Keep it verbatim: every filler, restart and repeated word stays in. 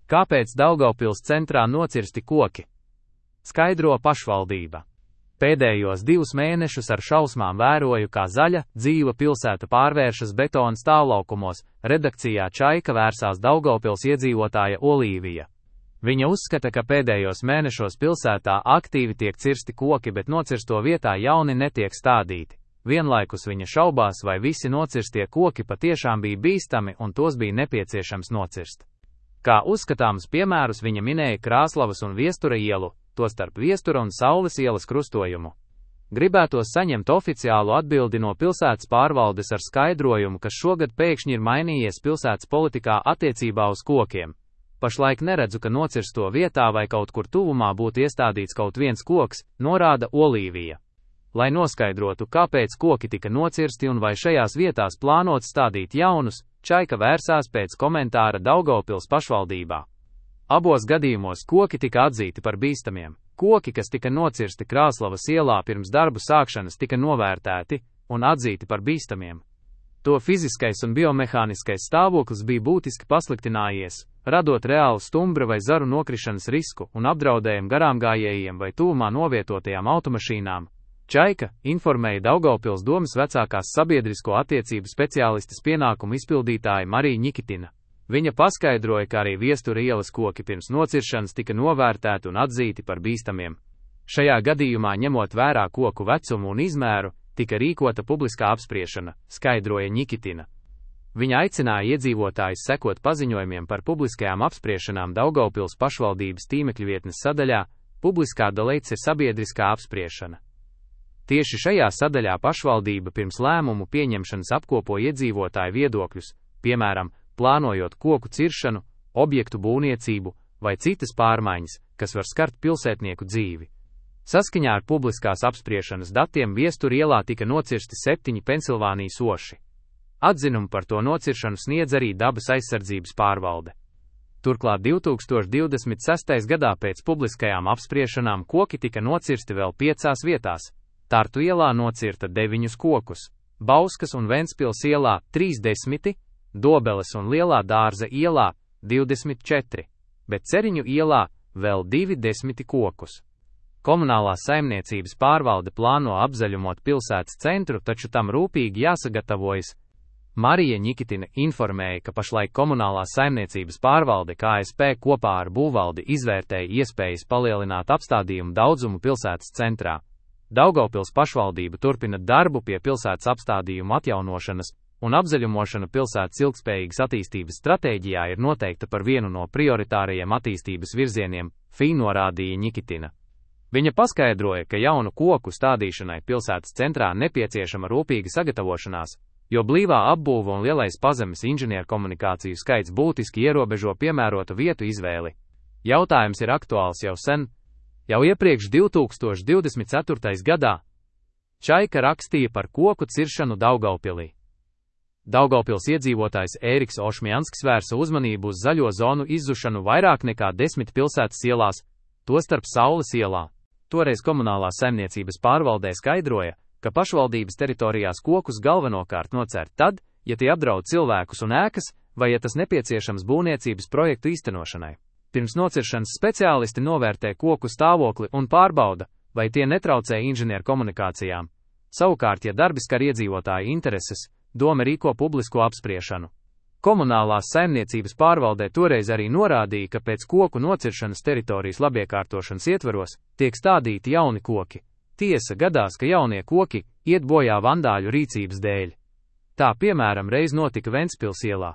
Kāpēc Daugavpils centrā nocirsti koki? Skaidro pašvaldība. Pēdējos divus mēnešus ar šausmām vēroju, kā zaļa, dzīva pilsēta pārvēršas betona stāvlaukumos, redakcijā Čaika vērsās Daugavpils iedzīvotāja Olīvija. Viņa uzskata, ka pēdējos mēnešos pilsētā aktīvi tiek cirsti koki, bet nocirsto vietā jauni netiek stādīti. Vienlaikus viņa šaubās, vai visi nocirstie koki patiešām bija bīstami un tos bija nepieciešams nocirst. Kā uzskatāms piemērus viņa minēja Krāslavas un Viestura ielu, tostarp Viestura un Saules ielas krustojumu. Gribētos saņemt oficiālu atbildi no pilsētas pārvaldes ar skaidrojumu, kas šogad pēkšņi ir mainījies pilsētas politikā attiecībā uz kokiem. Pašlaik neredzu, ka nocirsto vietā vai kaut kur tuvumā būtu iestādīts kaut viens koks, norāda Olīvija. Lai noskaidrotu, kāpēc koki tika nocirsti un vai šajās vietās plānots stādīt jaunus, Čaika vērsās pēc komentāra Daugavpils pašvaldībā. Abos gadījumos koki tika atzīti par bīstamiem. Koki, kas tika nocirsti Krāslavas ielā pirms darbu sākšanas, tika novērtēti un atzīti par bīstamiem. To fiziskais un biomehāniskais stāvoklis bija būtiski pasliktinājies, radot reālu stumbra vai zaru nokrišanas risku un apdraudējumu garāmgājējiem vai tuvumā novietotajām automašīnām. Čaika informēja Daugavpils domas vecākās sabiedrisko attiecību speciālistes pienākumu izpildītāja Marija Ņikitina. Viņa paskaidroja, ka arī Viestura ielas koki pirms nociršanas tika novērtēti un atzīti par bīstamiem. Šajā gadījumā, ņemot vērā koku vecumu un izmēru, tika rīkota publiskā apspriešana, skaidroja Ņikitina. Viņa aicināja iedzīvotājus sekot paziņojumiem par publiskajām apspriešanām Daugavpils pašvaldības tīmekļa vietnes sadaļā Publiskā dalīts ir sabiedriskā apspriešana. Tieši šajā sadaļā pašvaldība pirms lēmumu pieņemšanas apkopo iedzīvotāju viedokļus, piemēram, plānojot koku ciršanu, objektu būvniecību vai citas pārmaiņas, kas var skart pilsētnieku dzīvi. Saskaņā ar publiskās apspriešanas datiem Viestura ielā tika nocirsti septiņi Pensilvānijas oši. Atzinumu par to nociršanu sniedz arī dabas aizsardzības pārvalde. Turklāt divtūkstoš divdesmit sestajā gadā pēc publiskajām apspriešanām koki tika nocirsti vēl piecās vietās. Tartu ielā nocirta deviņus kokus, Bauskas un Ventspils ielā trīsdesmit, Dobeles un Lielā dārza ielā divdesmit četri, bet Ceriņu ielā vēl divi desmiti kokus. Komunālā saimniecības pārvalde plāno apzaļumot pilsētas centru, taču tam rūpīgi jāsagatavojas. Marija Ņikitina informēja, ka pašlaik komunālā saimniecības pārvalde K S P kopā ar būvvaldi izvērtēja iespējas palielināt apstādījumu daudzumu pilsētas centrā. Daugavpils pašvaldība turpina darbu pie pilsētas apstādījumu atjaunošanas, un apzaļumošana pilsētas ilgspējīgas attīstības stratēģijā ir noteikta par vienu no prioritārajiem attīstības virzieniem, F I norādīja Ņikitina. Viņa paskaidroja, ka jaunu koku stādīšanai pilsētas centrā nepieciešama rūpīga sagatavošanās, jo blīvā apbūve un lielais pazemes inženierkomunikāciju skaits būtiski ierobežo piemērotu vietu izvēli. Jautājums ir aktuāls jau sen. Jau iepriekš divtūkstoš divdesmit ceturtajā gadā Čaika rakstīja par koku ciršanu Daugavpilī. Daugavpils iedzīvotājs Ēriks Ošmjansks vērsa uzmanību uz zaļo zonu izzušanu vairāk nekā desmit pilsētas ielās, tostarp Saules ielā. Toreiz komunālā saimniecības pārvaldē skaidroja, ka pašvaldības teritorijās kokus galvenokārt nocērt tad, ja tie apdraud cilvēkus un ēkas, vai ja tas nepieciešams būvniecības projektu īstenošanai. Pirms nociršanas speciālisti novērtē koku stāvokli un pārbauda, vai tie netraucē inženierkomunikācijām. Savukārt, ja darbi skar iedzīvotāju intereses, doma rīko publisko apspriešanu. Komunālās saimniecības pārvaldē toreiz arī norādīja, ka pēc koku nociršanas teritorijas labiekārtošanas ietvaros tiek stādīti jauni koki. Tiesa, gadās, ka jaunie koki iet bojā vandāļu rīcības dēļ. Tā piemēram reiz notika Ventspils ielā.